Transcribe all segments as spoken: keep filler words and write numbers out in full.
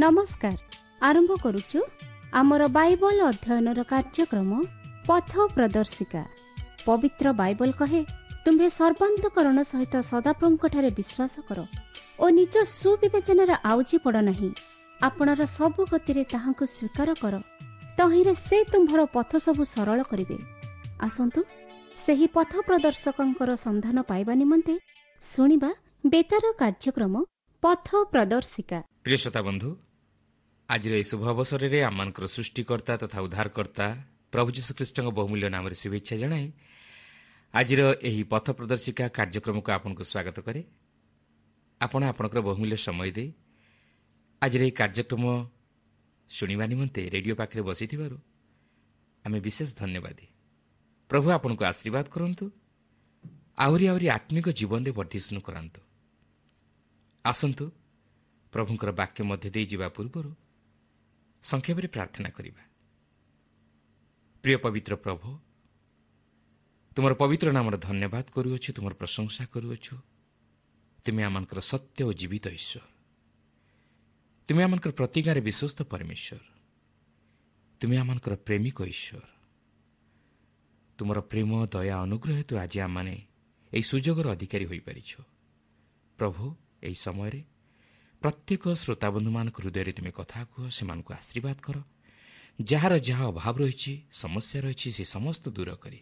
ନମସ୍କାର। ଆରମ୍ଭ କରୁଛୁ ଆମର ବାଇବଲ ଅଧ୍ୟୟନର କାର୍ଯ୍ୟକ୍ରମ ପଥ ପ୍ରଦର୍ଶିକା। ପବିତ୍ର ବାଇବଲ କହେ, ତୁମ୍ଭେ ସର୍ବାନ୍ତକରଣ ସହିତ ସଦାପ୍ରଭୁଙ୍କଠାରେ ବିଶ୍ୱାସ କର ଓ ନିଜ ସୁବିବେଚନାରେ ଆଉଜି ପଡ଼ ନାହିଁ। ଆପଣର ସବୁ ଗତିରେ ତାହାଙ୍କୁ ସ୍ୱୀକାର କର, ତହିଁରେ ସେ ତୁମ୍ଭର ପଥ ସବୁ ସରଳ କରିବେ। ଆସନ୍ତୁ ସେହି ପଥ ପ୍ରଦର୍ଶକଙ୍କର ସନ୍ଧାନ ପାଇବା ନିମନ୍ତେ ଶୁଣିବା ବେତାର କାର୍ଯ୍ୟକ୍ରମ ପଥ ପ୍ରଦର୍ଶିକା। ପ୍ରିୟ ଶ୍ରୋତା ବନ୍ଧୁ, ଆଜିର ଏହି ଶୁଭ ଅବସରରେ ଆମମାନଙ୍କର ସୃଷ୍ଟିକର୍ତ୍ତା ତଥା ଉଦ୍ଧାରକର୍ତ୍ତା ପ୍ରଭୁ ଯୀଶୁଖ୍ରୀଷ୍ଟଙ୍କ ବହୁମୂଲ୍ୟ ନାମରେ ଶୁଭେଚ୍ଛା ଜଣାଇ ଆଜିର ଏହି ପଥ ପ୍ରଦର୍ଶିକା କାର୍ଯ୍ୟକ୍ରମକୁ ଆପଣଙ୍କୁ ସ୍ୱାଗତ କରେ। ଆପଣ ଆପଣଙ୍କର ବହୁମୂଲ୍ୟ ସମୟ ଦେଇ ଆଜିର ଏହି କାର୍ଯ୍ୟକ୍ରମ ଶୁଣିବା ନିମନ୍ତେ ରେଡ଼ିଓ ପାଖରେ ବସିଥିବାରୁ ଆମେ ବିଶେଷ ଧନ୍ୟବାଦୀ। ପ୍ରଭୁ ଆପଣଙ୍କୁ ଆଶୀର୍ବାଦ କରନ୍ତୁ, ଆହୁରି ଆହୁରି ଆତ୍ମିକ ଜୀବନରେ ବର୍ଦ୍ଧିଷ୍ଣୁ କରାନ୍ତୁ। ଆସନ୍ତୁ ପ୍ରଭୁଙ୍କର ବାକ୍ୟ ମଧ୍ୟ ଦେଇ ଯିବା ପୂର୍ବରୁ ସଂକ୍ଷେପରେ ପ୍ରାର୍ଥନା କରିବା। ପ୍ରିୟ ପବିତ୍ର ପ୍ରଭୁ, ତୁମର ପବିତ୍ର ନାମର ଧନ୍ୟବାଦ କରୁଅଛୁ, ତୁମର ପ୍ରଶଂସା କରୁଅଛୁ। ତୁମେ ଆମମାନଙ୍କର ସତ୍ୟ ଓ ଜୀବିତ ଈଶ୍ୱର, ତୁମେ ଆମମାନଙ୍କର ପ୍ରତିଜ୍ଞାରେ ବିଶ୍ୱସ୍ତ ପରମେଶ୍ୱର, ତୁମେ ଆମମାନଙ୍କର ପ୍ରେମିକ ଈଶ୍ୱର। ତୁମର ପ୍ରେମ, ଦୟା, ଅନୁଗ୍ରହ ହେତୁ ଆଜି ଆମମାନେ ଏହି ସୁଯୋଗର ଅଧିକାରୀ ହୋଇପାରିଛୁ। ପ୍ରଭୁ, ଏହି ସମୟରେ ପ୍ରତ୍ୟେକ ଶ୍ରୋତାବନ୍ଧୁମାନଙ୍କ ହୃଦୟରେ ତୁମେ କଥା କୁହ, ସେମାନଙ୍କୁ ଆଶୀର୍ବାଦ କର। ଯାହାର ଯାହା ଅଭାବ ରହିଛି, ସମସ୍ୟା ରହିଛି, ସେ ସମସ୍ତ ଦୂର କରି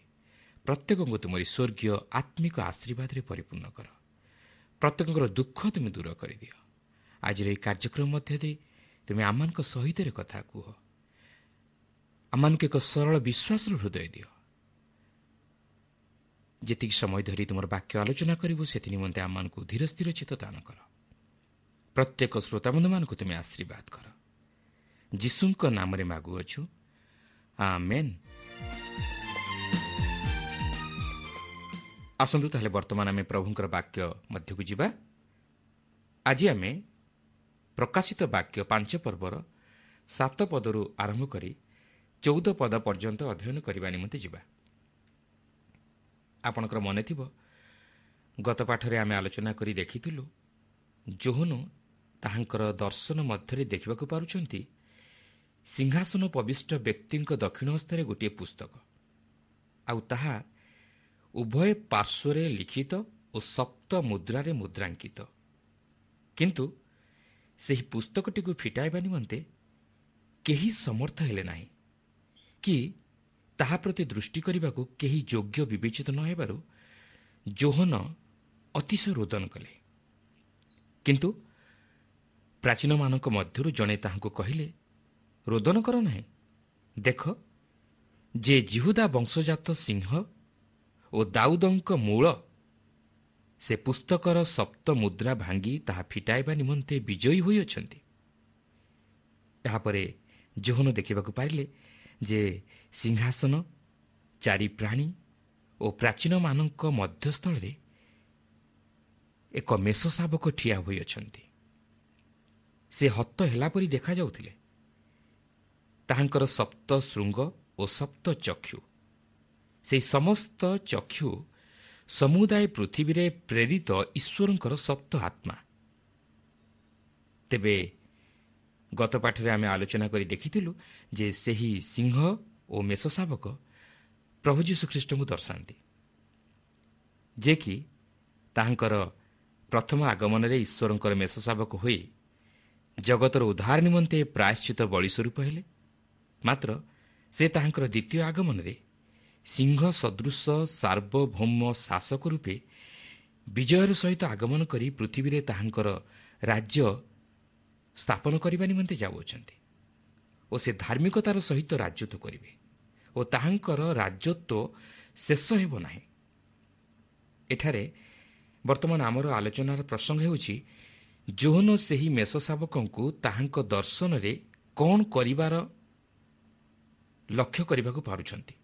ପ୍ରତ୍ୟେକଙ୍କୁ ତୁମରି ସ୍ୱର୍ଗୀୟ ଆତ୍ମିକ ଆଶୀର୍ବାଦରେ ପରିପୂର୍ଣ୍ଣ କର। ପ୍ରତ୍ୟେକଙ୍କର ଦୁଃଖ ତୁମେ ଦୂର କରିଦିଅ। ଆଜିର ଏହି କାର୍ଯ୍ୟକ୍ରମ ମଧ୍ୟ ଦେଇ ତୁମେ ଆମମାନଙ୍କ ସହିତ କଥା କୁହ, ଆମମାନଙ୍କୁ ଏକ ସରଳ ବିଶ୍ୱାସର ହୃଦୟ ଦିଅ। ଯେତିକି ସମୟ ଧରି ତୁମର ବାକ୍ୟ ଆଲୋଚନା କରିବୁ, ସେଥି ନିମନ୍ତେ ଆମମାନଙ୍କୁ ଧୀର ସ୍ଥିର ଚିତ୍ତ ଦାନ କର। ପ୍ରତ୍ୟେକ ଶ୍ରୋତାବନ୍ଧୁମାନଙ୍କୁ ତୁମେ ଆଶୀର୍ବାଦ କର। ଯୀଶୁଙ୍କ ନାମରେ ମାଗୁଅଛୁ, ଆମେନ୍। ଆସନ୍ତୁ ତାହେଲେ ବର୍ତ୍ତମାନ ଆମେ ପ୍ରଭୁଙ୍କର ବାକ୍ୟ ମଧ୍ୟକୁ ଯିବା। ଆଜି ଆମେ ପ୍ରକାଶିତ ବାକ୍ୟ ପାଞ୍ଚ ପର୍ବର ସାତ ପଦରୁ ଆରମ୍ଭ କରି ଚଉଦ ପଦ ପର୍ଯ୍ୟନ୍ତ ଅଧ୍ୟୟନ କରିବା ନିମନ୍ତେ ଯିବା। ଆପଣଙ୍କର ମନେ ଥିବ, ଗତ ପାଠରେ ଆମେ ଆଲୋଚନା କରି ଦେଖିଥିଲୁ ଯୋହନ ତାହାଙ୍କର ଦର୍ଶନ ମଧ୍ୟରେ ଦେଖିବାକୁ ପାରୁଛନ୍ତି ସିଂହାସନ ପବିଷ୍ଟ ବ୍ୟକ୍ତିଙ୍କ ଦକ୍ଷିଣ ହସ୍ତରେ ଗୋଟିଏ ପୁସ୍ତକ, ଆଉ ତାହା ଉଭୟ ପାର୍ଶ୍ୱରେ ଲିଖିତ ଓ ସପ୍ତ ମୁଦ୍ରାରେ ମୁଦ୍ରାଙ୍କିତ। କିନ୍ତୁ ସେହି ପୁସ୍ତକଟିକୁ ଫିଟାଇବା ନିମନ୍ତେ କେହି ସମର୍ଥ ହେଲେ ନାହିଁ କି ତାହା ପ୍ରତି ଦୃଷ୍ଟି କରିବାକୁ କେହି ଯୋଗ୍ୟ ବିବେଚିତ ନ ହେବାରୁ ଯୋହନ ଅତିଶୟ ରୋଦନ କଲେ। କିନ୍ତୁ ପ୍ରାଚୀନମାନଙ୍କ ମଧ୍ୟରୁ ଜଣେ ତାହାଙ୍କୁ କହିଲେ, ରୋଦନ କର ନାହିଁ, ଦେଖ ଯେ ଯିହୁଦା ବଂଶଜାତ ସିଂହ ଓ ଦାଉଦଙ୍କ ମୂଳ, ସେ ପୁସ୍ତକର ସପ୍ତ ମୁଦ୍ରା ଭାଙ୍ଗି ତାହା ଫିଟାଇବା ନିମନ୍ତେ ବିଜୟୀ ହୋଇଅଛନ୍ତି। ଏହାପରେ ଯୋହନ ଦେଖିବାକୁ ପାରିଲେ ଯେ ସିଂହାସନ, ଚାରି ପ୍ରାଣୀ ଓ ପ୍ରାଚୀନମାନଙ୍କ ମଧ୍ୟସ୍ଥଳରେ ଏକ ମେଷ ଶାବକ ଠିଆ ହୋଇଅଛନ୍ତି। ସେ ହତ ହେଲା ପରି ଦେଖାଯାଉଥିଲେ। ତାହାଙ୍କର ସପ୍ତ ଶୃଙ୍ଗ ଓ ସପ୍ତ ଚକ୍ଷୁ, ସେହି ସମସ୍ତ ଚକ୍ଷୁ ସମୁଦାୟ ପୃଥିବୀରେ ପ୍ରେରିତ ଈଶ୍ୱରଙ୍କର ସପ୍ତ ଆତ୍ମା। ତେବେ ଗତ ପାଠରେ ଆମେ ଆଲୋଚନା କରି ଦେଖିଥିଲୁ ଯେ ସେହି ସିଂହ ଓ ମେଷ ଶାବକ ପ୍ରଭୁ ଯୀଶୁଖ୍ରୀଷ୍ଟଙ୍କୁ ଦର୍ଶାନ୍ତି, ଯେ କି ତାହାଙ୍କର ପ୍ରଥମ ଆଗମନରେ ଈଶ୍ୱରଙ୍କର ମେଷ ଶାବକ ହୋଇ ଜଗତର ଉଦ୍ଧାର ନିମନ୍ତେ ପ୍ରାୟଶ୍ଚିତ ବଳି ସ୍ୱରୂପ ହେଲେ। ମାତ୍ର ସେ ତାହାଙ୍କର ଦ୍ୱିତୀୟ ଆଗମନରେ ସିଂହ ସଦୃଶ ସାର୍ବଭୌମ ଶାସକ ରୂପେ ବିଜୟର ସହିତ ଆଗମନ କରି ପୃଥିବୀରେ ତାହାଙ୍କର ରାଜ୍ୟ ସ୍ଥାପନ କରିବା ନିମନ୍ତେ ଯାଉଅଛନ୍ତି ଓ ସେ ଧାର୍ମିକତାର ସହିତ ରାଜତ୍ୱ କରିବେ ଓ ତାହାଙ୍କର ରାଜତ୍ୱ ଶେଷ ହେବ ନାହିଁ। ଏଠାରେ ବର୍ତ୍ତମାନ ଆମର ଆଲୋଚନାର ପ୍ରସଙ୍ଗ ହେଉଛି ଯୋହନ ସେହି ମେଷ ଶାବକଙ୍କୁ ତାହାଙ୍କ ଦର୍ଶନରେ କ'ଣ କରିବାର ଲକ୍ଷ୍ୟ କରିବାକୁ ପାରୁଛନ୍ତି।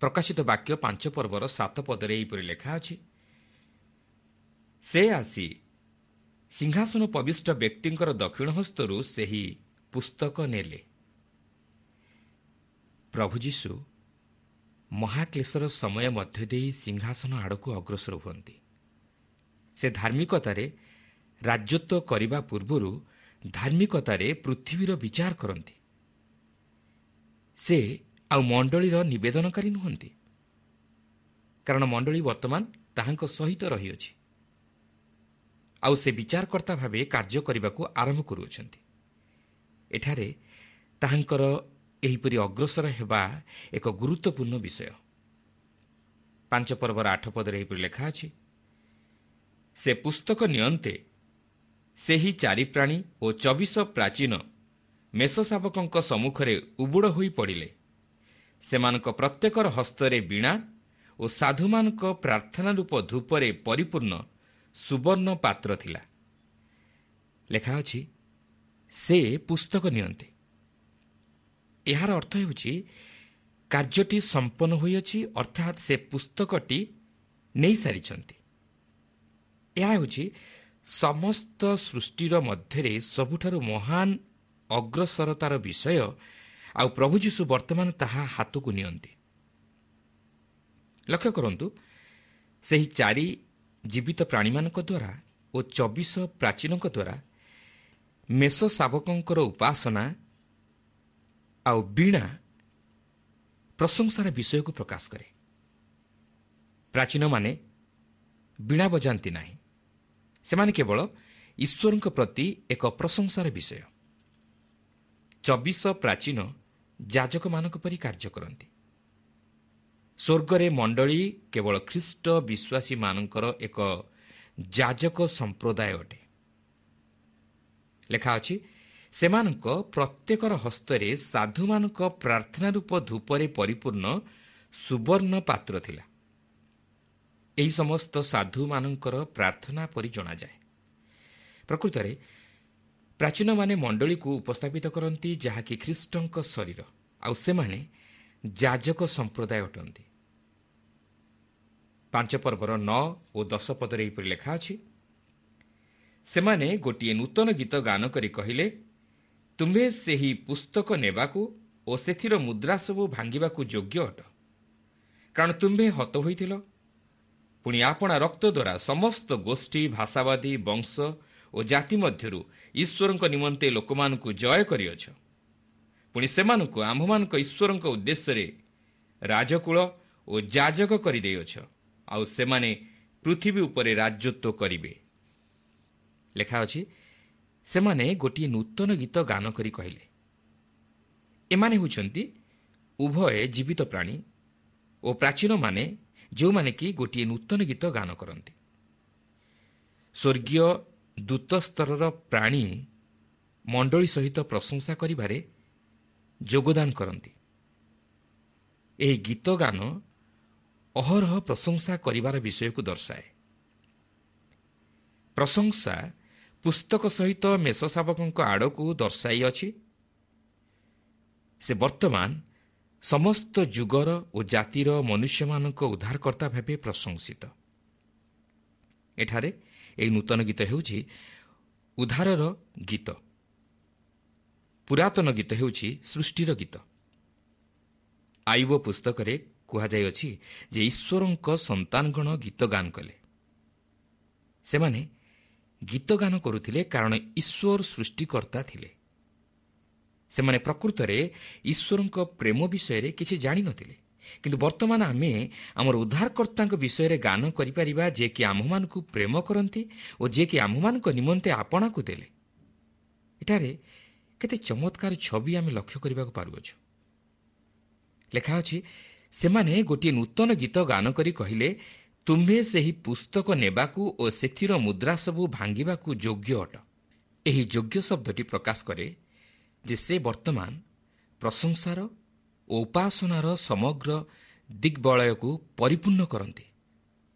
ପ୍ରକାଶିତ ବାକ୍ୟ ପାଞ୍ଚ ପର୍ବର ସାତ ପଦରେ ଏହିପରି ଲେଖା ଅଛି, ସେ ଆସି ସିଂହାସନ ପବିଷ୍ଟ ବ୍ୟକ୍ତିଙ୍କର ଦକ୍ଷିଣ ହସ୍ତରୁ ସେହି ପୁସ୍ତକ ନେଲେ। ପ୍ରଭୁ ଯୀଶୁ ମହାକ୍ଲେଶର ସମୟ ମଧ୍ୟ ଦେଇ ସିଂହାସନ ଆଡ଼କୁ ଅଗ୍ରସର ହୁଅନ୍ତି। ସେ ଧାର୍ମିକତାରେ ରାଜତ୍ୱ କରିବା ପୂର୍ବରୁ ଧାର୍ମିକତାରେ ପୃଥିବୀର ବିଚାର କରନ୍ତି। ସେ ଆଉ ମଣ୍ଡଳୀର ନିବେଦନକାରୀ ନୁହନ୍ତି, କାରଣ ମଣ୍ଡଳୀ ବର୍ତ୍ତମାନ ତାହାଙ୍କ ସହିତ ରହିଅଛି ଆଉ ସେ ବିଚାରକର୍ତ୍ତା ଭାବେ କାର୍ଯ୍ୟ କରିବାକୁ ଆରମ୍ଭ କରୁଅଛନ୍ତି। ଏଠାରେ ତାହାଙ୍କର ଏହିପରି ଅଗ୍ରସର ହେବା ଏକ ଗୁରୁତ୍ୱପୂର୍ଣ୍ଣ ବିଷୟ। ପାଞ୍ଚ ପର୍ବର ଆଠ ପଦରେ ଏହିପରି ଲେଖା ଅଛି, ସେ ପୁସ୍ତକ ନିଅନ୍ତେ ସେହି ଚାରି ପ୍ରାଣୀ ଓ ଚବିଶ ପ୍ରାଚୀନ ମେଷଶାବକଙ୍କ ସମ୍ମୁଖରେ ଉବୁଡ଼ ହୋଇ ପଡ଼ିଲେ। ସେମାନଙ୍କ ପ୍ରତ୍ୟେକର ହସ୍ତରେ ବୀଣା ଓ ସାଧୁମାନଙ୍କ ପ୍ରାର୍ଥନା ରୂପ ଧୂପରେ ପରିପୂର୍ଣ୍ଣ ସୁବର୍ଣ୍ଣ ପାତ୍ର ଥିଲା। ଲେଖା ଅଛି, ସେ ପୁସ୍ତକ ନିଅନ୍ତେ। ଏହାର ଅର୍ଥ ହେଉଛି କାର୍ଯ୍ୟଟି ସମ୍ପନ୍ନ ହୋଇଅଛି, ଅର୍ଥାତ୍ ସେ ପୁସ୍ତକଟି ନେଇସାରିଛନ୍ତି। ଏହା ହେଉଛି ସମସ୍ତ ସୃଷ୍ଟିର ମଧ୍ୟରେ ସବୁଠାରୁ ମହାନ ଅଗ୍ରସରତାର ବିଷୟ, ଆଉ ପ୍ରଭୁ ଯୀଶୁ ବର୍ତ୍ତମାନ ତାହା ହାତକୁ ନିଅନ୍ତି। ଲକ୍ଷ୍ୟ କରନ୍ତୁ, ସେହି ଚାରି ଜୀବିତ ପ୍ରାଣୀମାନଙ୍କ ଦ୍ୱାରା ଓ ଚବିଶ ପ୍ରାଚୀନଙ୍କ ଦ୍ୱାରା ମେଷ ଶାବକଙ୍କର ଉପାସନା ଆଉ ବୀଣା ପ୍ରଶଂସାର ବିଷୟକୁ ପ୍ରକାଶ କରେ। ପ୍ରାଚୀନମାନେ ବୀଣା ବଜାନ୍ତି ନାହିଁ, ସେମାନେ କେବଳ ଈଶ୍ୱରଙ୍କ ପ୍ରତି ଏକ ପ୍ରଶଂସାର ବିଷୟ। ଚବିଶ ପ୍ରାଚୀନ ଯାଜକମାନଙ୍କ ପରି କାର୍ଯ୍ୟ କରନ୍ତି। ସ୍ୱର୍ଗରେ ମଣ୍ଡଳୀ କେବଳ ଖ୍ରୀଷ୍ଟ ବିଶ୍ୱାସୀମାନଙ୍କର ଏକ ଯାଜକ ସମ୍ପ୍ରଦାୟ ଅଟେ। ଲେଖା ଅଛି, ସେମାନଙ୍କ ପ୍ରତ୍ୟେକର ହସ୍ତରେ ସାଧୁମାନଙ୍କ ପ୍ରାର୍ଥନା ରୂପ ଧୂପରେ ପରିପୂର୍ଣ୍ଣ ସୁବର୍ଣ୍ଣ ପାତ୍ର ଥିଲା। ଏହି ସମସ୍ତ ସାଧୁମାନଙ୍କର ପ୍ରାର୍ଥନା ପରି ଜଣାଯାଏ। ପ୍ରକୃତରେ ପ୍ରାଚୀନମାନେ ମଣ୍ଡଳୀକୁ ଉପସ୍ଥାପିତ କରନ୍ତି, ଯାହାକି ଖ୍ରୀଷ୍ଟଙ୍କ ଶରୀର, ଆଉ ସେମାନେ ଯାଜକ ସମ୍ପ୍ରଦାୟ ଅଟନ୍ତି। ପାଞ୍ଚ ପର୍ବର ନଅ ଓ ଦଶ ପଦରେ ଏହିପରି ଲେଖା ଅଛି, ସେମାନେ ଗୋଟିଏ ନୂତନ ଗୀତ ଗାନ କରି କହିଲେ, ତୁମ୍ଭେ ସେହି ପୁସ୍ତକ ନେବାକୁ ଓ ସେଥିର ମୁଦ୍ରା ସବୁ ଭାଙ୍ଗିବାକୁ ଯୋଗ୍ୟ ଅଟ, କାରଣ ତୁମ୍ଭେ ହତ ହୋଇଥିଲ, ପୁଣି ଆପଣା ରକ୍ତ ଦ୍ୱାରା ସମସ୍ତ ଗୋଷ୍ଠୀ, ଭାଷାବାଦୀ, ବଂଶ ଓ ଜାତି ମଧ୍ୟରୁ ଈଶ୍ୱରଙ୍କ ନିମନ୍ତେ ଲୋକମାନଙ୍କୁ ଜୟ କରିଅଛ। ପୁଣି ସେମାନଙ୍କୁ ଆମ୍ଭମାନଙ୍କ ଈଶ୍ୱରଙ୍କ ଉଦ୍ଦେଶ୍ୟରେ ରାଜକୁଳ ଓ ଯାଜକ କରିଦେଇଅଛ, ଆଉ ସେମାନେ ପୃଥିବୀ ଉପରେ ରାଜତ୍ୱ କରିବେ। ଲେଖା ଅଛି, ସେମାନେ ଗୋଟିଏ ନୂତନ ଗୀତ ଗାନ କରି କହିଲେ। ଏମାନେ ହେଉଛନ୍ତି ଉଭୟ ଜୀବିତ ପ୍ରାଣୀ ଓ ପ୍ରାଚୀନମାନେ, ଯେଉଁମାନେ କି ଗୋଟିଏ ନୂତନ ଗୀତ ଗାନ କରନ୍ତି। ସ୍ୱର୍ଗୀୟ ଦୂତସ୍ତରର ପ୍ରାଣୀ ମଣ୍ଡଳୀ ସହିତ ପ୍ରଶଂସା କରିବାରେ ଯୋଗଦାନ କରନ୍ତି। ଏହି ଗୀତ ଗାନ ଅହରହ ପ୍ରଶଂସା କରିବାର ବିଷୟକୁ ଦର୍ଶାଏ। ପ୍ରଶଂସା ପୁସ୍ତକ ସହିତ ମେଷଶାବକଙ୍କ ଆଡ଼କୁ ଦର୍ଶାଇଅଛି। ସେ ବର୍ତ୍ତମାନ ସମସ୍ତ ଯୁଗର ଓ ଜାତିର ମନୁଷ୍ୟମାନଙ୍କ ଉଦ୍ଧାରକର୍ତ୍ତା ଭାବେ ପ୍ରଶଂସିତ। ଏଠାରେ ଏହି ନୂତନ ଗୀତ ହେଉଛି ଉଦ୍ଧାରର ଗୀତ। ପୁରାତନ ଗୀତ ହେଉଛି ସୃଷ୍ଟିର ଗୀତ। ଆୟୁବ ପୁସ୍ତକରେ କୁହାଯାଇଅଛି ଯେ ଈଶ୍ୱରଙ୍କ ସନ୍ତାନଗଣ ଗୀତ ଗାନ କଲେ। ସେମାନେ ଗୀତ ଗାନ କରୁଥିଲେ କାରଣ ଈଶ୍ୱର ସୃଷ୍ଟିକର୍ତ୍ତା ଥିଲେ। ସେମାନେ ପ୍ରକୃତରେ ଈଶ୍ୱରଙ୍କ ପ୍ରେମ ବିଷୟରେ କିଛି ଜାଣିନଥିଲେ, କିନ୍ତୁ ବର୍ତ୍ତମାନ ଆମେ ଆମର ଉଦ୍ଧାରକର୍ତ୍ତାଙ୍କ ବିଷୟରେ ଗାନ କରିପାରିବା, ଯିଏକି ଆମ୍ଭମାନଙ୍କୁ ପ୍ରେମ କରନ୍ତି ଓ ଯିଏକି ଆମ୍ଭମାନଙ୍କ ନିମନ୍ତେ ଆପଣାକୁ ଦେଲେ। ଏଠାରେ କେତେ ଚମତ୍କାର ଛବି ଆମେ ଲକ୍ଷ୍ୟ କରିବାକୁ ପାରୁଅଛୁ। ଲେଖା ଅଛି, ସେମାନେ ଗୋଟିଏ ନୂତନ ଗୀତ ଗାନ କରି କହିଲେ, ତୁମ୍ଭେ ସେହି ପୁସ୍ତକ ନେବାକୁ ଓ ସେଥିର ମୁଦ୍ରା ସବୁ ଭାଙ୍ଗିବାକୁ ଯୋଗ୍ୟ ଅଟ। ଏହି ଯୋଗ୍ୟ ଶବ୍ଦଟି ପ୍ରକାଶ କରେ ଯେ ସେ ବର୍ତ୍ତମାନ ପ୍ରଶଂସାର ଓ ଉପାସନାର ସମଗ୍ର ଦିଗ୍ବଳୟକୁ ପରିପୂର୍ଣ୍ଣ କରନ୍ତି।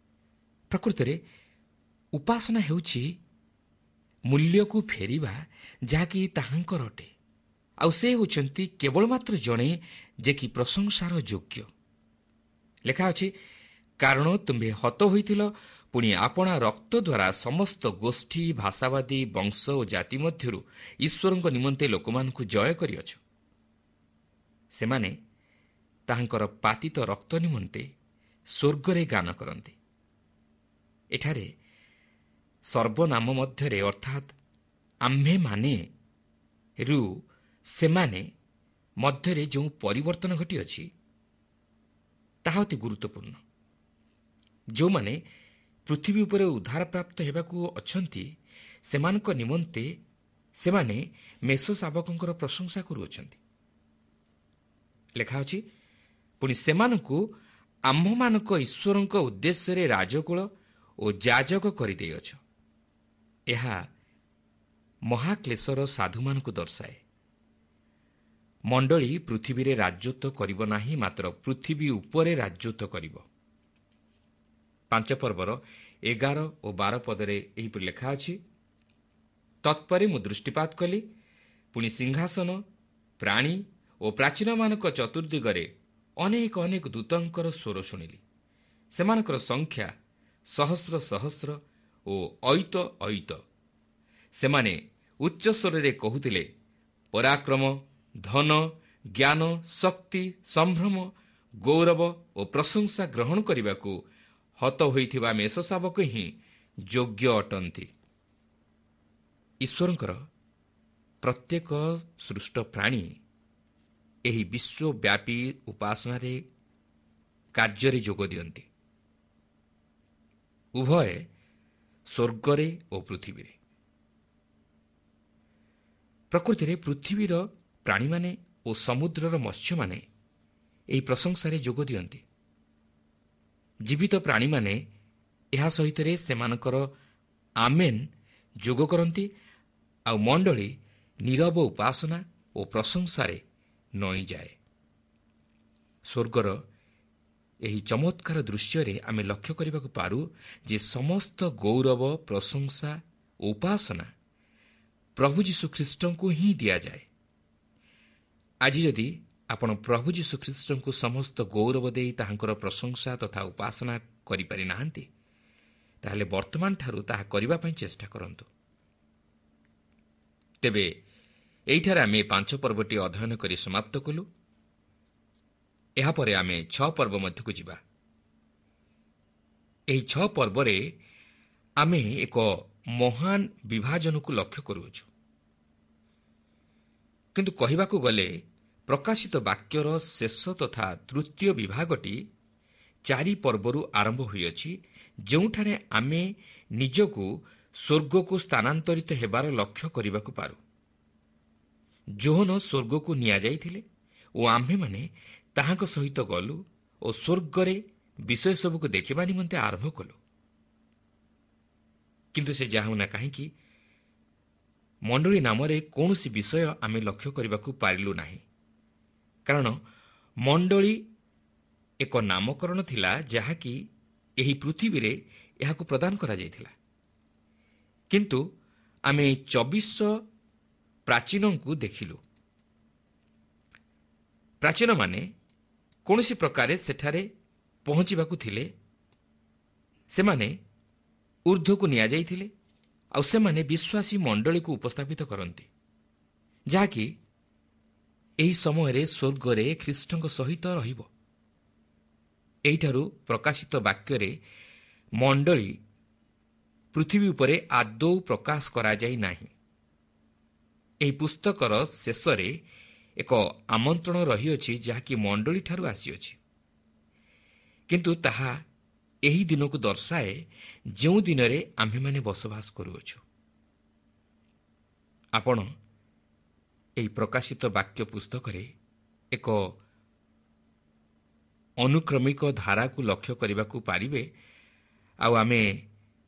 ପ୍ରକୃତରେ ଉପାସନା ହେଉଛି ମୂଲ୍ୟକୁ ଫେରିବା, ଯାହାକି ତାହାଙ୍କର ଅଟେ, ଆଉ ସେ ହେଉଛନ୍ତି କେବଳ ମାତ୍ର ଜଣେ ଯେ କି ପ୍ରଶଂସାର ଯୋଗ୍ୟ। ଲେଖା ଅଛି, କାରଣ ତୁମ୍ଭେ ହତ ହୋଇଥିଲ, ପୁଣି ଆପଣା ରକ୍ତ ଦ୍ୱାରା ସମସ୍ତ ଗୋଷ୍ଠୀ, ଭାଷାବାଦୀ, ବଂଶ ଓ ଜାତି ମଧ୍ୟରୁ ଈଶ୍ୱରଙ୍କ ନିମନ୍ତେ ଲୋକମାନଙ୍କୁ ଜୟ କରିଅଛ। ସେମାନେ ତାହାଙ୍କର ପାତିତ ରକ୍ତ ନିମନ୍ତେ ସ୍ୱର୍ଗରେ ଗାନ କରନ୍ତି। ଏଠାରେ ସର୍ବନାମ ମଧ୍ୟରେ ଅର୍ଥାତ୍ ଆମ୍ଭେମାନେ ରୁ ସେମାନେ ମଧ୍ୟରେ ଯେଉଁ ପରିବର୍ତ୍ତନ ଘଟିଅଛି ତାହା ଅତି ଗୁରୁତ୍ୱପୂର୍ଣ୍ଣ। ଯେଉଁମାନେ ପୃଥିବୀ ଉପରେ ଉଦ୍ଧାରପ୍ରାପ୍ତ ହେବାକୁ ଅଛନ୍ତି ସେମାନଙ୍କ ନିମନ୍ତେ ସେମାନେ ମେଷ ଶାବକଙ୍କର ପ୍ରଶଂସା କରୁଅଛନ୍ତି। ଲେଖା ଅଛି, ପୁଣି ସେମାନଙ୍କୁ ଆମ୍ଭମାନଙ୍କ ଈଶ୍ୱରଙ୍କ ଉଦ୍ଦେଶ୍ୟରେ ରାଜକୁଳ ଓ ଯାଜକ କରିଦେଇଅଛ। ଏହା ମହାକ୍ଲେଶର ସାଧୁମାନଙ୍କୁ ଦର୍ଶାଏ। ମଣ୍ଡଳୀ ପୃଥିବୀରେ ରାଜତ୍ୱ କରିବ ନାହିଁ, ମାତ୍ର ପୃଥିବୀ ଉପରେ ରାଜତ୍ୱ କରିବ। ପାଞ୍ଚ ପର୍ବର ଏଗାର ଓ ବାର ପଦରେ ଏହିପରି ଲେଖା ଅଛି, ତତ୍ପରେ ମୁଁ ଦୃଷ୍ଟିପାତ କଲି, ପୁଣି ସିଂହାସନ, ପ୍ରାଣୀ ଓ ପ୍ରାଚୀନମାନଙ୍କ ଚତୁର୍ଦିଗରେ ଅନେକ ଅନେକ ଦୂତଙ୍କର ସ୍ୱର ଶୁଣିଲି। ସେମାନଙ୍କର ସଂଖ୍ୟା ସହସ୍ର ସହସ୍ର ଓ ଅୟୁତ ଅୟୁତ। ସେମାନେ ଉଚ୍ଚସ୍ୱରରେ କହୁଥିଲେ, ପରାକ୍ରମ, ଧନ, ଜ୍ଞାନ, ଶକ୍ତି, ସମ୍ଭ୍ରମ, ଗୌରବ ଓ ପ୍ରଶଂସା ଗ୍ରହଣ କରିବାକୁ ହତ ହୋଇଥିବା ମେଷଶାବକ ହିଁ ଯୋଗ୍ୟ ଅଟନ୍ତି। ଈଶ୍ୱରଙ୍କର ପ୍ରତ୍ୟେକ ସୃଷ୍ଟ ପ୍ରାଣୀ ଏହି ବିଶ୍ୱବ୍ୟାପୀ ଉପାସନାରେ କାର୍ଯ୍ୟରେ ଯୋଗ ଦିଅନ୍ତି, ଉଭୟ ସ୍ୱର୍ଗରେ ଓ ପୃଥିବୀରେ। ପ୍ରକୃତିରେ ପୃଥିବୀର ପ୍ରାଣୀମାନେ ଓ ସମୁଦ୍ରର ମତ୍ସ୍ୟମାନେ ଏହି ପ୍ରଶଂସାରେ ଯୋଗ ଦିଅନ୍ତି। ଜୀବିତ ପ୍ରାଣୀମାନେ ଏହା ସହିତରେ ସେମାନଙ୍କର ଆମେନ୍ ଯୋଗ କରନ୍ତି, ଆଉ ମଣ୍ଡଳୀ ନୀରବ ଉପାସନା ଓ ପ୍ରଶଂସାରେ ନଇଁଯାଏ। ସ୍ୱର୍ଗର ଏହି ଚମତ୍କାର ଦୃଶ୍ୟରେ ଆମେ ଲକ୍ଷ୍ୟ କରିବାକୁ ପାରୁ ଯେ ସମସ୍ତ ଗୌରବ, ପ୍ରଶଂସା ଓ ଉପାସନା ପ୍ରଭୁ ଯୀଶୁଖ୍ରୀଷ୍ଟଙ୍କୁ ହିଁ ଦିଆଯାଏ। ଆଜି ଯଦି ଆପଣ ପ୍ରଭୁ ଯୀଶୁଖ୍ରୀଷ୍ଟଙ୍କୁ ସମସ୍ତ ଗୌରବ ଦେଇ ତାହାଙ୍କର ପ୍ରଶଂସା ତଥା ଉପାସନା କରିପାରିନାହାନ୍ତି, ତାହେଲେ ବର୍ତ୍ତମାନଠାରୁ ତାହା କରିବା ପାଇଁ ଚେଷ୍ଟା କରନ୍ତୁ। ତେବେ ଏଇଠାରେ ଆମେ ପାଞ୍ଚ ପର୍ବଟି ଅଧ୍ୟୟନ କରି ସମାପ୍ତ କଲୁ। ଏହାପରେ ଆମେ ଛଅ ପର୍ବ ମଧ୍ୟକୁ ଯିବା। ଏହି ଛଅ ପର୍ବରେ ଆମେ ଏକ ମହାନ ବିଭାଜନକୁ ଲକ୍ଷ୍ୟ କରୁଅଛୁ। କିନ୍ତୁ କହିବାକୁ ଗଲେ ପ୍ରକାଶିତ ବାକ୍ୟର ଶେଷ ତଥା ତୃତୀୟ ବିଭାଗଟି ଚାରି ପର୍ବରୁ ଆରମ୍ଭ ହୋଇଅଛି, ଯେଉଁଠାରେ ଆମେ ନିଜକୁ ସ୍ୱର୍ଗକୁ ସ୍ଥାନାନ୍ତରିତ ହେବାର ଲକ୍ଷ୍ୟ କରିବାକୁ ପାରୁ। ଯୋହନ ସ୍ୱର୍ଗକୁ ନିଆଯାଇଥିଲେ ଓ ଆମ୍ଭେମାନେ ତାହାଙ୍କ ସହିତ ଗଲୁ ଓ ସ୍ୱର୍ଗରେ ବିଷୟ ସବୁକୁ ଦେଖିବା ନିମନ୍ତେ ଆରମ୍ଭ କଲୁ। କିନ୍ତୁ ସେ ଯାହା ହେଉନା କାହିଁକି, ମଣ୍ଡଳୀ ନାମରେ କୌଣସି ବିଷୟ ଆମେ ଲକ୍ଷ୍ୟ କରିବାକୁ ପାରିଲୁ ନାହିଁ, କାରଣ ମଣ୍ଡଳୀ ଏକ ନାମକରଣ ଥିଲା ଯାହାକି ଏହି ପୃଥିବୀରେ ଏହାକୁ ପ୍ରଦାନ କରାଯାଇଥିଲା। କିନ୍ତୁ ଆମେ ଚବିଶ ପ୍ରାଚୀନଙ୍କୁ ଦେଖିଲୁ। ପ୍ରାଚୀନମାନେ କୌଣସି ପ୍ରକାରେ ସେଠାରେ ପହଞ୍ଚିବାକୁ ଥିଲେ। ସେମାନେ ଉର୍ଦ୍ଧ୍ୱକୁ ନିଆଯାଇଥିଲେ ଆଉ ସେମାନେ ବିଶ୍ୱାସୀ ମଣ୍ଡଳୀକୁ ଉପସ୍ଥାପିତ କରନ୍ତି, ଯାହାକି ଏହି ସମୟରେ ସ୍ୱର୍ଗରେ ଖ୍ରୀଷ୍ଟଙ୍କ ସହିତ ରହିବ। ଏହିଠାରୁ ପ୍ରକାଶିତ ବାକ୍ୟରେ ମଣ୍ଡଳୀ ପୃଥିବୀ ଉପରେ ଆଦୌ ପ୍ରକାଶ କରାଯାଇ ନାହିଁ। ଏହି ପୁସ୍ତକର ଶେଷରେ ଏକ ଆମନ୍ତ୍ରଣ ରହିଅଛି, ଯାହାକି ମଣ୍ଡଳୀଠାରୁ ଆସିଅଛି, କିନ୍ତୁ ତାହା ଏହି ଦିନକୁ ଦର୍ଶାଏ ଯେଉଁ ଦିନରେ ଆମ୍ଭେମାନେ ବସବାସ କରୁଅଛୁ। ଆପଣ ଏହି ପ୍ରକାଶିତ ବାକ୍ୟ ପୁସ୍ତକରେ ଏକ ଅନୁକ୍ରମିକ ଧାରାକୁ ଲକ୍ଷ୍ୟ କରିବାକୁ ପାରିବେ, ଆଉ ଆମେ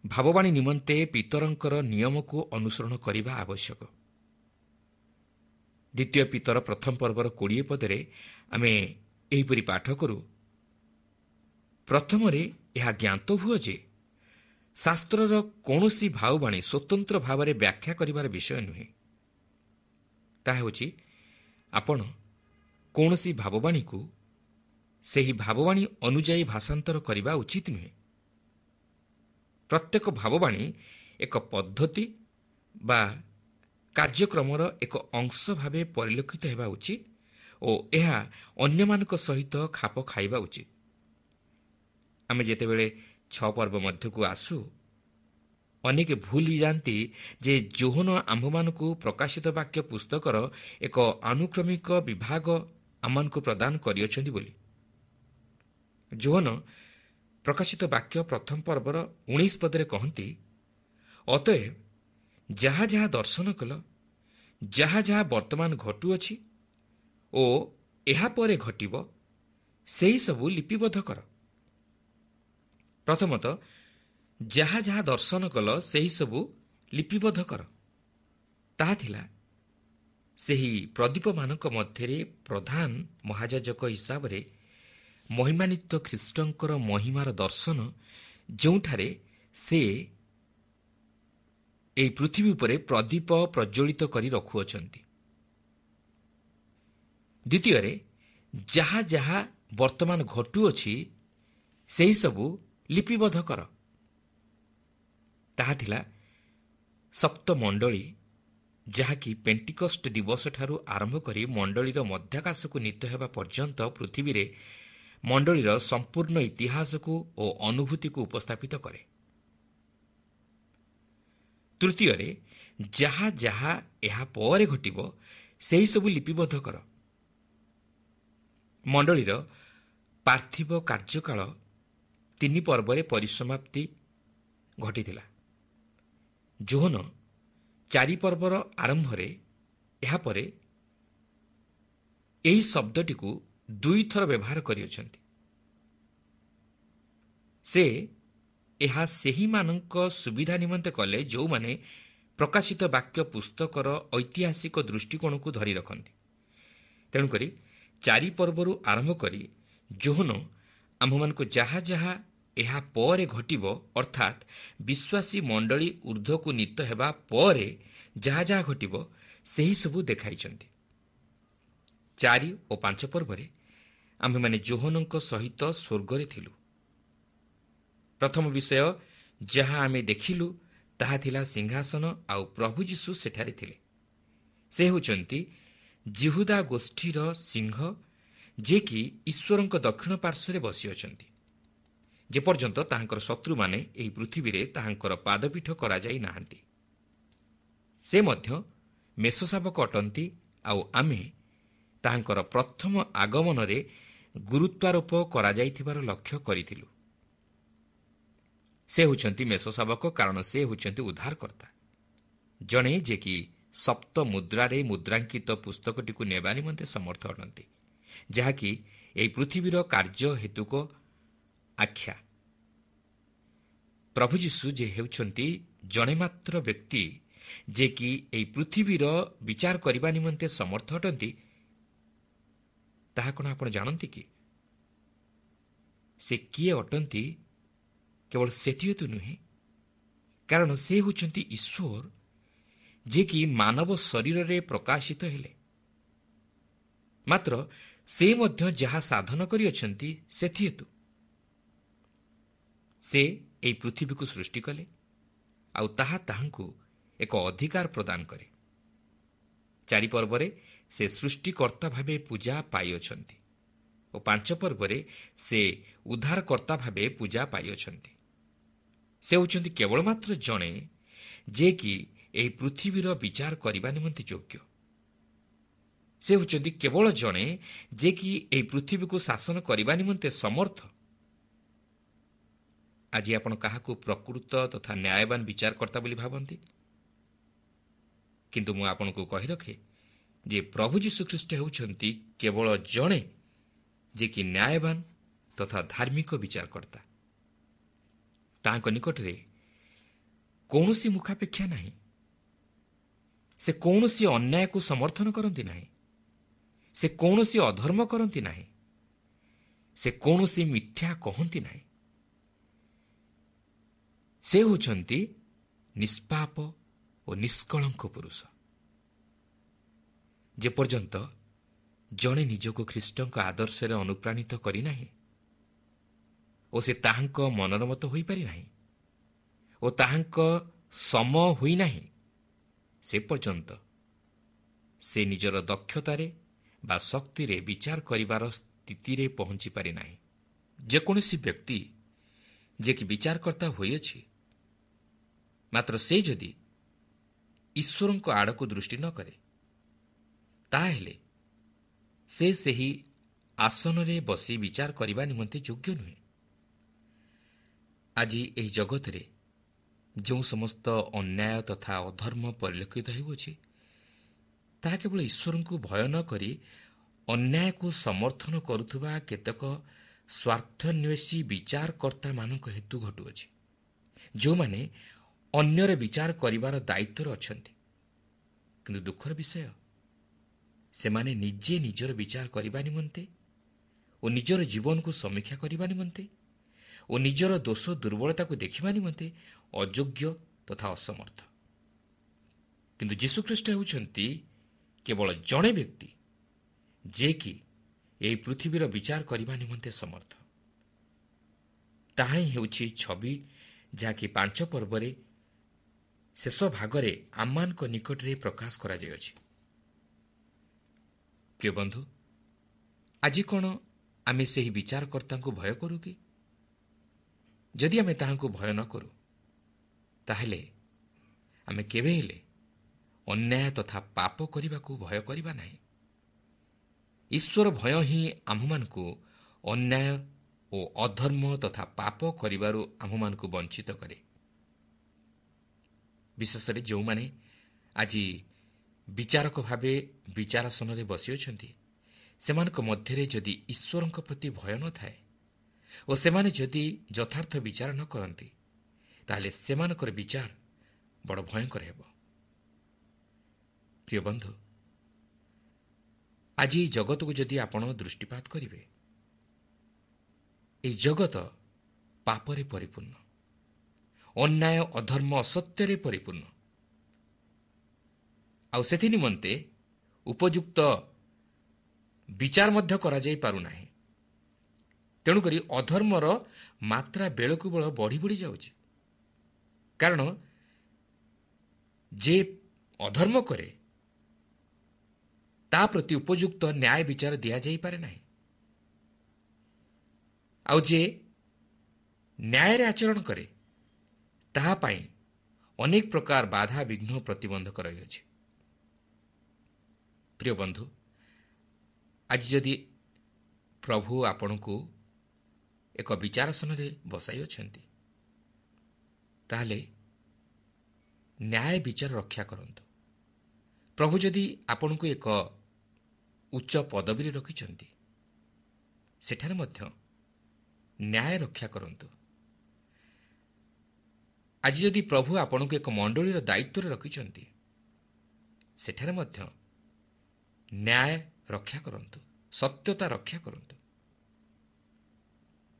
ଭାବବାଣୀ ନିମନ୍ତେ ପିତରଙ୍କର ନିୟମକୁ ଅନୁସରଣ କରିବା ଆବଶ୍ୟକ। ଦ୍ୱିତୀୟ ପିତର ପ୍ରଥମ ପର୍ବର କୋଡ଼ିଏ ପଦରେ ଆମେ ଏହିପରି ପାଠ କରୁ, ପ୍ରଥମରେ ଏହା ଜ୍ଞାତ ହୁଅ ଯେ ଶାସ୍ତ୍ରର କୌଣସି ଭାବବାଣୀ ସ୍ୱତନ୍ତ୍ର ଭାବରେ ବ୍ୟାଖ୍ୟା କରିବାର ବିଷୟ ନୁହେଁ। ତାହା ହେଉଛି, ଆପଣ କୌଣସି ଭାବବାଣୀକୁ ସେହି ଭାବବାଣୀ ଅନୁଯାୟୀ ଭାଷାନ୍ତର କରିବା ଉଚିତ ନୁହେଁ। ପ୍ରତ୍ୟେକ ଭାବବାଣୀ ଏକ ପଦ୍ଧତି ବା କାର୍ଯ୍ୟକ୍ରମର ଏକ ଅଂଶ ଭାବେ ପରିଲକ୍ଷିତ ହେବା ଉଚିତ ଓ ଏହା ଅନ୍ୟମାନଙ୍କ ସହିତ ଖାପ ଖାଇବା ଉଚିତ। ଆମେ ଯେତେବେଳେ ଛଅ ପର୍ବ ମଧ୍ୟକୁ ଆସୁ, ଅନେକ ଭୁଲି ଯାଆନ୍ତି ଯେ ଯୋହନ ଆମ୍ଭମାନଙ୍କୁ ପ୍ରକାଶିତ ବାକ୍ୟ ପୁସ୍ତକର ଏକ ଆନୁକ୍ରମିକ ବିଭାଗ ଆମମାନଙ୍କୁ ପ୍ରଦାନ କରିଅଛନ୍ତି ବୋଲି। ଯୋହନ ପ୍ରକାଶିତ ବାକ୍ୟ ପ୍ରଥମ ପର୍ବର ଉଣେଇଶ ପଦରେ କହନ୍ତି, ଅତଏବ ଯାହା ଯାହା ଦର୍ଶନ କଲ, ଯାହା ଯାହା ବର୍ତ୍ତମାନ ଘଟୁଅଛି ଓ ଏହାପରେ ଘଟିବ, ସେହିସବୁ ଲିପିବଦ୍ଧ କର। ପ୍ରଥମତଃ ଯାହା ଯାହା ଦର୍ଶନ କଲ ସେହିସବୁ ଲିପିବଦ୍ଧ କର। ତାହା ଥିଲା ସେହି ପ୍ରଦୀପମାନଙ୍କ ମଧ୍ୟରେ ପ୍ରଧାନ ମହାଯାଜକ ହିସାବରେ ମହିମାନିତ୍ୱ ଖ୍ରୀଷ୍ଟଙ୍କର ମହିମାର ଦର୍ଶନ, ଯେଉଁଠାରେ ସେ ଏହି ପୃଥିବୀ ଉପରେ ପ୍ରଦୀପ ପ୍ରଜ୍ୱଳିତ କରି ରଖୁଅଛନ୍ତି। ଦ୍ୱିତୀୟରେ ଯାହା ଯାହା ବର୍ତ୍ତମାନ ଘଟୁଅଛି ସେହିସବୁ ଲିପିବଦ୍ଧ କର। ତାହା ଥିଲା ସପ୍ତମଣ୍ଡଳୀ, ଯାହାକି ପେଣ୍ଟିକଷ୍ଟ ଦିବସଠାରୁ ଆରମ୍ଭ କରି ମଣ୍ଡଳୀର ମଧ୍ୟାକାଶକୁ ନୀତ ହେବା ପର୍ଯ୍ୟନ୍ତ ପୃଥିବୀରେ ମଣ୍ଡଳୀର ସମ୍ପୂର୍ଣ୍ଣ ଇତିହାସକୁ ଓ ଅନୁଭୂତିକୁ ଉପସ୍ଥାପିତ କରେ। ତୃତୀୟରେ ଯାହା ଯାହା ଏହା ପରେ ଘଟିବ ସେହିସବୁ ଲିପିବଦ୍ଧ କର। ମଣ୍ଡଳୀର ପାର୍ଥିବ କାର୍ଯ୍ୟକାଳ ତିନି ପର୍ବରେ ପରିସମାପ୍ତି ଘଟିଥିଲା। ଯୋହନ ଚାରି ପର୍ବର ଆରମ୍ଭରେ ଏହାପରେ ଏହି ଶବ୍ଦଟିକୁ ଦୁଇଥର ବ୍ୟବହାର କରିଅଛନ୍ତି। ସେ ଏହା ସେହିମାନଙ୍କ ସୁବିଧା ନିମନ୍ତେ କଲେ ଯେଉଁମାନେ ପ୍ରକାଶିତ ବାକ୍ୟ ପୁସ୍ତକର ଐତିହାସିକ ଦୃଷ୍ଟିକୋଣକୁ ଧରି ରଖନ୍ତି। ତେଣୁକରି ଚାରି ପର୍ବରୁ ଆରମ୍ଭ କରି ଯୋହନ ଆମ୍ଭମାନଙ୍କୁ ଯାହା ଯାହା ଏହା ପରେ ଘଟିବ, ଅର୍ଥାତ୍ ବିଶ୍ୱାସୀ ମଣ୍ଡଳୀ ଉର୍ଦ୍ଧ୍ୱକୁ ନୀତ ହେବା ପରେ ଯାହା ଯାହା ଘଟିବ ସେହିସବୁ ଦେଖାଇଛନ୍ତି। ଚାରି ଓ ପାଞ୍ଚ ପର୍ବରେ ଆମ୍ଭେମାନେ ଯୋହନଙ୍କ ସହିତ ସ୍ୱର୍ଗରେ ଥିଲୁ। ପ୍ରଥମ ବିଷୟ ଯାହା ଆମେ ଦେଖିଲୁ ତାହା ଥିଲା ସିଂହାସନ, ଆଉ ପ୍ରଭୁ ଯୀଶୁ ସେଠାରେ ଥିଲେ। ସେ ହେଉଛନ୍ତି ଯିହୁଦା ଗୋଷ୍ଠୀର ସିଂହ, ଯିଏକି ଈଶ୍ୱରଙ୍କ ଦକ୍ଷିଣ ପାର୍ଶ୍ୱରେ ବସିଅଛନ୍ତି, ଯେପର୍ଯ୍ୟନ୍ତ ତାହାଙ୍କର ଶତ୍ରୁମାନେ ଏହି ପୃଥିବୀରେ ତାହାଙ୍କର ପାଦପୀଠ କରାଯାଇ ନାହାନ୍ତି। ସେ ମଧ୍ୟ ମେଷଶାବକ ଅଟନ୍ତି, ଆଉ ଆମେ ତାହାଙ୍କର ପ୍ରଥମ ଆଗମନରେ ଗୁରୁତ୍ୱାରୋପ କରାଯାଇଥିବାର ଲକ୍ଷ୍ୟ କରିଥିଲୁ। ସେ ହେଉଛନ୍ତି ମେଷଶାବକ, କାରଣ ସେ ହେଉଛନ୍ତି ଉଦ୍ଧାରକର୍ତ୍ତା, ଜଣେ ଯିଏକି ସପ୍ତ ମୁଦ୍ରାରେ ମୁଦ୍ରାଙ୍କିତ ପୁସ୍ତକଟିକୁ ନେବା ନିମନ୍ତେ ସମର୍ଥ ଅଟନ୍ତି, ଯାହାକି ଏହି ପୃଥିବୀର କାର୍ଯ୍ୟ ହେତୁକ ଆଖ୍ୟା। ପ୍ରଭୁ ଯୀଶୁ ଯେ ହେଉଛନ୍ତି ଜଣେ ମାତ୍ର ବ୍ୟକ୍ତି ଯିଏକି ଏହି ପୃଥିବୀର ବିଚାର କରିବା ନିମନ୍ତେ ସମର୍ଥ ଅଟନ୍ତି, ତାହା କ'ଣ ଆପଣ ଜାଣନ୍ତି କି? ସେ କିଏ ଅଟନ୍ତି କେବଳ ସେଥିହେତୁ ନୁହେଁ, କାରଣ ସେ ହେଉଛନ୍ତି ଈଶ୍ୱର ଯିଏକି ମାନବ ଶରୀରରେ ପ୍ରକାଶିତ ହେଲେ। ମାତ୍ର ସେ ମଧ୍ୟ ଯାହା ସାଧନ କରିଅଛନ୍ତି ସେଥିହେତୁ ସେ ଏହି ପୃଥିବୀକୁ ସୃଷ୍ଟି କଲେ, ଆଉ ତାହା ତାହାଙ୍କୁ ଏକ ଅଧିକାର ପ୍ରଦାନ କରେ। ଚାରି ପର୍ବରେ ସେ ସୃଷ୍ଟିକର୍ତ୍ତା ଭାବେ ପୂଜା ପାଇଅଛନ୍ତି ଓ ପାଞ୍ଚ ପର୍ବରେ ସେ ଉଦ୍ଧାରକର୍ତ୍ତା ଭାବେ ପୂଜା ପାଇଅଛନ୍ତି। ସେ ହେଉଛନ୍ତି କେବଳ ମାତ୍ର ଜଣେ ଯିଏକି ଏହି ପୃଥିବୀର ବିଚାର କରିବା ନିମନ୍ତେ ଯୋଗ୍ୟ। ସେ ହେଉଛନ୍ତି କେବଳ ଜଣେ ଯିଏକି ଏହି ପୃଥିବୀକୁ ଶାସନ କରିବା ନିମନ୍ତେ ସମର୍ଥ। ଆଜି ଆପଣ କାହାକୁ ପ୍ରକୃତ ତଥା ନ୍ୟାୟବାନ ବିଚାରକର୍ତ୍ତା ବୋଲି ଭାବନ୍ତି? କିନ୍ତୁ ମୁଁ ଆପଣଙ୍କୁ କହି ରଖେ ଯେ ପ୍ରଭୁ ଯୀଶୁଖ୍ରୀଷ୍ଟ ହେଉଛନ୍ତି କେବଳ ଜଣେ ଯିଏକି ନ୍ୟାୟବାନ ତଥା ଧାର୍ମିକ ବିଚାରକର୍ତ୍ତା। ତାହାଙ୍କ ନିକଟରେ କୌଣସି ମୁଖାପେକ୍ଷା ନାହିଁ। ସେ କୌଣସି ଅନ୍ୟାୟକୁ ସମର୍ଥନ କରନ୍ତି ନାହିଁ। ସେ କୌଣସି ଅଧର୍ମ କରନ୍ତି ନାହିଁ। ସେ କୌଣସି ମିଥ୍ୟା କହନ୍ତି ନାହିଁ। ସେ ହେଉଛନ୍ତି ନିଷ୍ପାପ ଓ ନିଷ୍କଳଙ୍କ ପୁରୁଷ। ଯେପର୍ଯ୍ୟନ୍ତ ଜଣେ ନିଜକୁ ଖ୍ରୀଷ୍ଟଙ୍କ ଆଦର୍ଶରେ ଅନୁପ୍ରାଣିତ କରିନାହିଁ ଓ ସେ ତାହାଙ୍କ ମନର ମତ ହୋଇପାରିନାହିଁ ଓ ତାହାଙ୍କ ସମ ହୋଇନାହିଁ, ସେ ପର୍ଯ୍ୟନ୍ତ ସେ ନିଜର ଦକ୍ଷତାରେ ବା ଶକ୍ତିରେ ବିଚାର କରିବାର ସ୍ଥିତିରେ ପହଞ୍ଚି ପାରିନାହିଁ। ଯେକୌଣସି ବ୍ୟକ୍ତି ଯିଏକି ବିଚାରକର୍ତ୍ତା ହୋଇଅଛି, ମାତ୍ର ସେ ଯଦି ଈଶ୍ୱରଙ୍କ ଆଡ଼କୁ ଦୃଷ୍ଟି ନ କରେ, ତାହେଲେ ସେ ସେହି ଆସନରେ ବସି ବିଚାର କରିବା ନିମନ୍ତେ ଯୋଗ୍ୟ ନୁହେଁ। ଆଜି ଏହି ଜଗତରେ ଯେଉଁ ସମସ୍ତ ଅନ୍ୟାୟ ତଥା ଅଧର୍ମ ପରିଲକ୍ଷିତ ହେଉଅଛି, ତାହା କେବଳ ଈଶ୍ୱରଙ୍କୁ ଭୟ ନ କରି ଅନ୍ୟାୟକୁ ସମର୍ଥନ କରୁଥିବା କେତେକ ସ୍ୱାର୍ଥନ୍ୱେଷୀ ବିଚାରକର୍ତ୍ତାମାନଙ୍କ ହେତୁ ଘଟୁଅଛି, ଯେଉଁମାନେ ଅନ୍ୟର ବିଚାର କରିବାର ଦାୟିତ୍ୱରେ ଅଛନ୍ତି। କିନ୍ତୁ ଦୁଃଖର ବିଷୟ, ସେମାନେ ନିଜେ ନିଜର ବିଚାର କରିବା ନିମନ୍ତେ ଓ ନିଜର ଜୀବନକୁ ସମୀକ୍ଷା କରିବା ନିମନ୍ତେ ଓ ନିଜର ଦୋଷ ଦୁର୍ବଳତାକୁ ଦେଖିବା ନିମନ୍ତେ ଅଯୋଗ୍ୟ ତଥା ଅସମର୍ଥ। କିନ୍ତୁ ଯୀଶୁଖ୍ରୀଷ୍ଟ ହେଉଛନ୍ତି କେବଳ ଜଣେ ବ୍ୟକ୍ତି ଯିଏକି ଏହି ପୃଥିବୀର ବିଚାର କରିବା ନିମନ୍ତେ ସମର୍ଥ। ତାହା ହିଁ ହେଉଛି ଛବି, ଯାହାକି ପାଞ୍ଚ ପର୍ବରେ ଶେଷ ଭାଗରେ ଆମମାନଙ୍କ ନିକଟରେ ପ୍ରକାଶ କରାଯାଇଅଛି। ପ୍ରିୟ ବନ୍ଧୁ, ଆଜି କ'ଣ ଆମେ ସେହି ବିଚାରକର୍ତ୍ତାଙ୍କୁ ଭୟ କରୁ କି? ଯଦି ଆମେ ତାହାଙ୍କୁ ଭୟ ନ କରୁ, ତାହେଲେ ଆମେ କେବେ ହେଲେ ଅନ୍ୟାୟ ତଥା ପାପ କରିବାକୁ ଭୟ କରିବା ନାହିଁ। ଈଶ୍ୱର ଭୟ ହିଁ ଆମ୍ଭମାନଙ୍କୁ ଅନ୍ୟାୟ ଓ ଅଧର୍ମ ତଥା ପାପ କରିବାରୁ ଆମ୍ଭମାନଙ୍କୁ ବଞ୍ଚିତ କରେ। ବିଶେଷରେ ଯେଉଁମାନେ ଆଜି ବିଚାରକ ଭାବେ ବିଚାରାସନରେ ବସିଅଛନ୍ତି, ସେମାନଙ୍କ ମଧ୍ୟରେ ଯଦି ଈଶ୍ୱରଙ୍କ ପ୍ରତି ଭୟ ନଥାଏ ଓ ସେମାନେ ଯଦି ଯଥାର୍ଥ ବିଚାର ନ କରନ୍ତି, ତାହେଲେ ସେମାନଙ୍କର ବିଚାର ବଡ଼ ଭୟଙ୍କର ହେବ। ପ୍ରିୟ ବନ୍ଧୁ, ଆଜି ଏହି ଜଗତକୁ ଯଦି ଆପଣ ଦୃଷ୍ଟିପାତ କରିବେ, ଏହି ଜଗତ ପାପରେ ପରିପୂର୍ଣ୍ଣ, ଅନ୍ୟାୟ, ଅଧର୍ମ, ଅସତ୍ୟରେ ପରିପୂର୍ଣ୍ଣ। ଆଉ ସେଥି ନିମନ୍ତେ ଉପଯୁକ୍ତ ବିଚାର ମଧ୍ୟ କରାଯାଇପାରୁନାହିଁ। ତେଣୁକରି ଅଧର୍ମର ମାତ୍ରା ବେଳକୁ ବେଳ ବଢ଼ି ବଢ଼ି ଯାଉଛି। କାରଣ ଯେ ଅଧର୍ମ କରେ ତା ପ୍ରତି ଉପଯୁକ୍ତ ନ୍ୟାୟ ବିଚାର ଦିଆଯାଇପାରେ ନାହିଁ, ଆଉ ଯେ ନ୍ୟାୟରେ ଆଚରଣ କରେ ତାହା ପାଇଁ ଅନେକ ପ୍ରକାର ବାଧା ବିଘ୍ନ ପ୍ରତିବନ୍ଧକ ରହିଅଛି। ପ୍ରିୟ ବନ୍ଧୁ, ଆଜି ଯଦି ପ୍ରଭୁ ଆପଣଙ୍କୁ ଏକ ବିଚାରାସନରେ ବସାଇଅଛନ୍ତି, ତାହେଲେ ନ୍ୟାୟ ବିଚାର ରକ୍ଷା କରନ୍ତୁ। ପ୍ରଭୁ ଯଦି ଆପଣଙ୍କୁ ଏକ ଉଚ୍ଚ ପଦବୀରେ ରଖିଛନ୍ତି, ସେଠାରେ ମଧ୍ୟ ନ୍ୟାୟ ରକ୍ଷା କରନ୍ତୁ। ଆଜି ଯଦି ପ୍ରଭୁ ଆପଣଙ୍କୁ ଏକ ମଣ୍ଡଳୀର ଦାୟିତ୍ୱରେ ରଖିଛନ୍ତି, ସେଠାରେ ମଧ୍ୟ ନ୍ୟାୟ ରକ୍ଷା କରନ୍ତୁ, ସତ୍ୟତା ରକ୍ଷା କରନ୍ତୁ।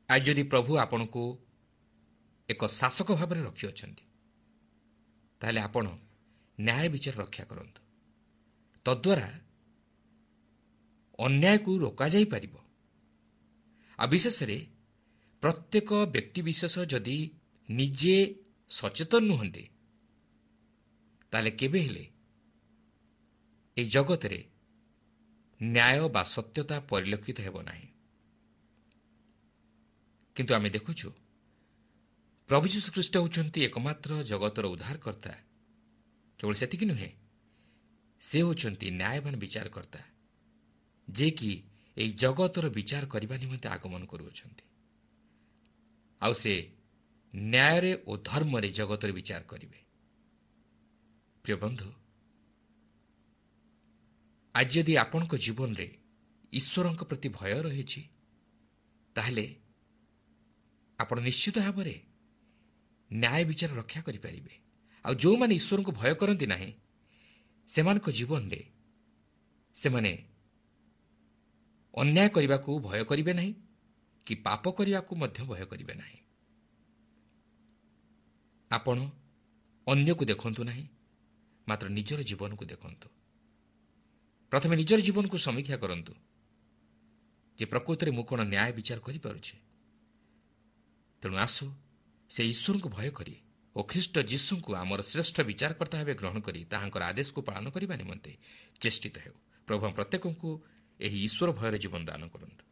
ଆଜି ଯଦି ପ୍ରଭୁ ଆପଣଙ୍କୁ ଏକ ଶାସକ ଭାବରେ ରଖିଅଛନ୍ତି, ତାହେଲେ ଆପଣ ନ୍ୟାୟ ବିଚାର ରକ୍ଷା କରନ୍ତୁ। ତଦ୍ୱାରା ଅନ୍ୟାୟକୁ ରୋକାଯାଇପାରିବ। ଆଉ ବିଶେଷରେ ପ୍ରତ୍ୟେକ ବ୍ୟକ୍ତିବିଶେଷ ଯଦି ନିଜେ ସଚେତନ ନୁହନ୍ତି, ତାହେଲେ କେବେ ହେଲେ ଏହି ଜଗତରେ ନ୍ୟାୟ ବା ସତ୍ୟତା ପରିଲକ୍ଷିତ ହେବ ନାହିଁ। କିନ୍ତୁ ଆମେ ଦେଖୁଛୁ ପ୍ରଭୁ ଯୀଶୁଖ୍ରୀଷ୍ଟ ହେଉଛନ୍ତି ଏକମାତ୍ର ଜଗତର ଉଦ୍ଧାରକର୍ତ୍ତା। କେବଳ ସେତିକି ନୁହେଁ, ସେ ହେଉଛନ୍ତି ନ୍ୟାୟବାନ ବିଚାରକର୍ତ୍ତା, ଯିଏକି ଏହି ଜଗତର ବିଚାର କରିବା ନିମନ୍ତେ ଆଗମନ କରୁଅଛନ୍ତି। ଆଉ ସେ ନ୍ୟାୟରେ ଓ ଧର୍ମରେ ଜଗତର ବିଚାର କରିବେ। ପ୍ରିୟ ବନ୍ଧୁ, ଆଜି ଯଦି ଆପଣଙ୍କ ଜୀବନରେ ଈଶ୍ୱରଙ୍କ ପ୍ରତି ଭୟ ରହିଛି, ତାହେଲେ ଆପଣ ନିଶ୍ଚିତ ଭାବରେ ନ୍ୟାୟ ବିଚାର ରକ୍ଷା କରିପାରିବେ। ଆଉ ଯେଉଁମାନେ ଈଶ୍ୱରଙ୍କୁ ଭୟ କରନ୍ତି ନାହିଁ, ସେମାନଙ୍କ ଜୀବନରେ ସେମାନେ ଅନ୍ୟାୟ କରିବାକୁ ଭୟ କରିବେ ନାହିଁ କି ପାପ କରିବାକୁ ମଧ୍ୟ ଭୟ କରିବେ ନାହିଁ। ଆପଣ ଅନ୍ୟକୁ ଦେଖନ୍ତୁ ନାହିଁ, ମାତ୍ର ନିଜର ଜୀବନକୁ ଦେଖନ୍ତୁ। ପ୍ରଥମେ ନିଜର ଜୀବନକୁ ସମୀକ୍ଷା କରନ୍ତୁ ଯେ ପ୍ରକୃତରେ ମୁଁ କ'ଣ ନ୍ୟାୟ ବିଚାର କରିପାରୁଛି। ତେଣୁ ଆସୁ ସେ ଈଶ୍ୱରଙ୍କୁ ଭୟ କରି ଓ ଖ୍ରୀଷ୍ଟ ଯୀଶୁଙ୍କୁ ଆମର ଶ୍ରେଷ୍ଠ ବିଚାରକର୍ତ୍ତା ଭାବେ ଗ୍ରହଣ କରି ତାହାଙ୍କର ଆଦେଶକୁ ପାଳନ କରିବା ନିମନ୍ତେ ଚେଷ୍ଟିତ ହେଉ। ପ୍ରଭୁ ପ୍ରତ୍ୟେକଙ୍କୁ ଏହି ଈଶ୍ୱର ଭୟରେ ଜୀବନ ଦାନ କରନ୍ତୁ।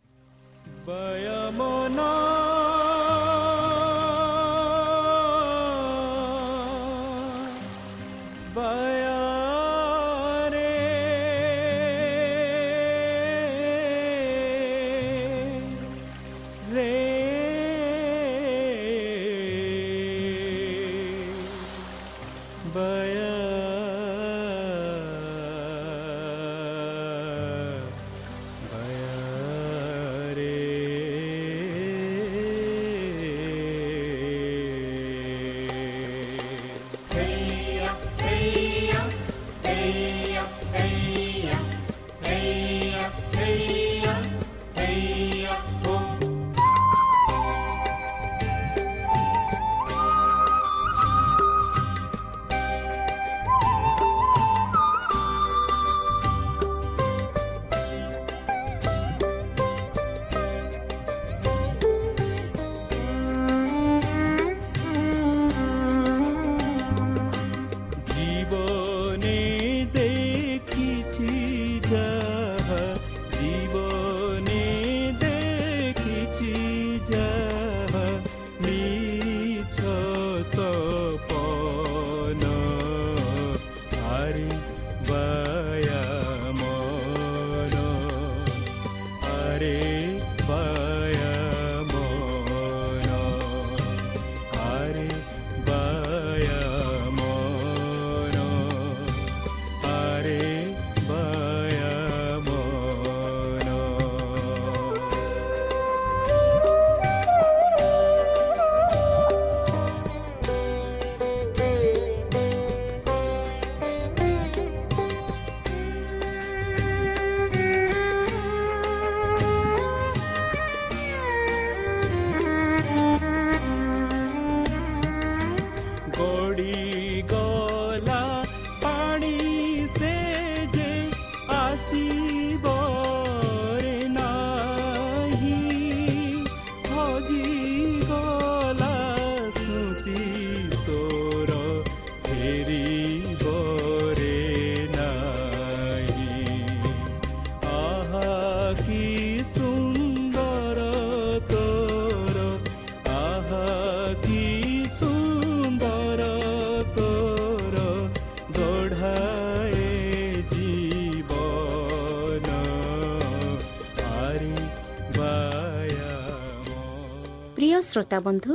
ଶ୍ରୋତାବନ୍ଧୁ,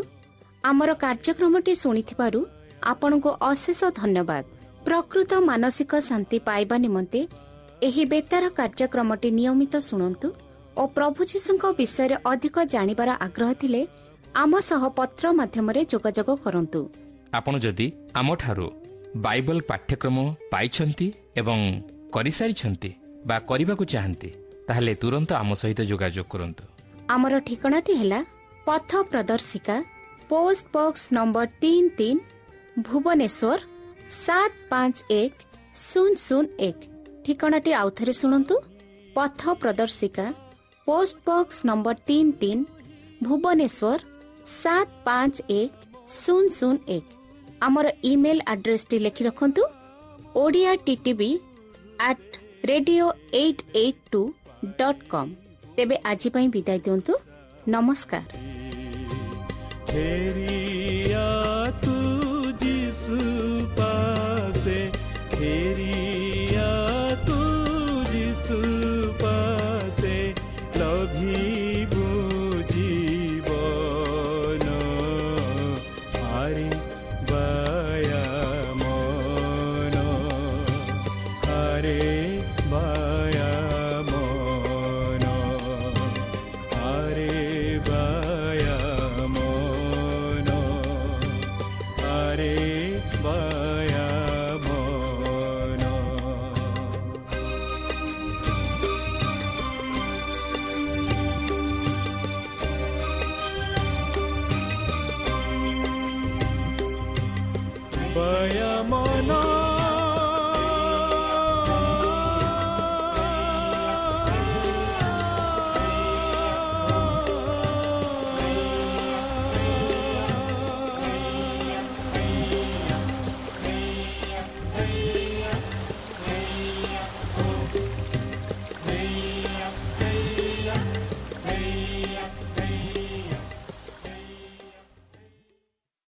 ଆମର କାର୍ଯ୍ୟକ୍ରମଟି ଶୁଣିଥିବାରୁ ଆପଣଙ୍କୁ ଅଶେଷ ଧନ୍ୟବାଦ। ପ୍ରକୃତ ମାନସିକ ଶାନ୍ତି ପାଇବା ନିମନ୍ତେ ଏହି ବେତାର କାର୍ଯ୍ୟକ୍ରମଟି ନିୟମିତ ଶୁଣନ୍ତୁ ଓ ପ୍ରଭୁ ଯୀଶୁଙ୍କ ବିଷୟରେ ଅଧିକ ଜାଣିବାର ଆଗ୍ରହ ଥିଲେ ଆମ ସହ ପତ୍ର ମାଧ୍ୟମରେ ଯୋଗାଯୋଗ କରନ୍ତୁ। ଆପଣ ଯଦି ଆମଠାରୁ ବାଇବଲ ପାଠ୍ୟକ୍ରମ ପାଇଛନ୍ତି ଏବଂ କରିସାରିଛନ୍ତି ବା କରିବାକୁ ଚାହାନ୍ତି, ତାହେଲେ ତୁରନ୍ତ ଆମ ସହିତ ଯୋଗାଯୋଗ କରନ୍ତୁ। ଆମର ଠିକଣାଟି ହେଲା ପଥ ପ୍ରଦର୍ଶିକା, ପୋଷ୍ଟ ବକ୍ସ ନମ୍ବର ତିନି ତିନି, ଭୁବନେଶ୍ୱର ସାତ ପାଞ୍ଚ ଏକ ଶୂନ ଶୂନ ଏକ। ଠିକଣାଟି ଆଉଥରେ ଶୁଣନ୍ତୁ, ପଥ ପ୍ରଦର୍ଶିକା, ପୋଷ୍ଟ ବକ୍ସ ନମ୍ବର ତିନି ତିନି, ଭୁବନେଶ୍ୱର ସାତ ପାଞ୍ଚ ଏକ ଶୂନ ଶୂନ ଏକ। ଆମର ଇମେଲ୍ ଆଡ୍ରେସଟି ଲେଖି ରଖନ୍ତୁ, Odia TTV at radio eight eight two dot com. ତେବେ ଆଜି ପାଇଁ ବିଦାୟ ଦିଅନ୍ତୁ, ନମସ୍କାର। ଫେରିଆ ତୁ ଯିଶୁ ପାସେ, ଫେରିଆ ତୁ ଯିଶୁ ପାସେ, ଲଭିବୁ ଜୀବନ। ଆରେ ବାୟା ମନ, ଆରେ ବାୟା ମନ, ଆରେ ବାୟା ମନ, ଆରେ ବାୟା ମନ। ବାୟା ମନ।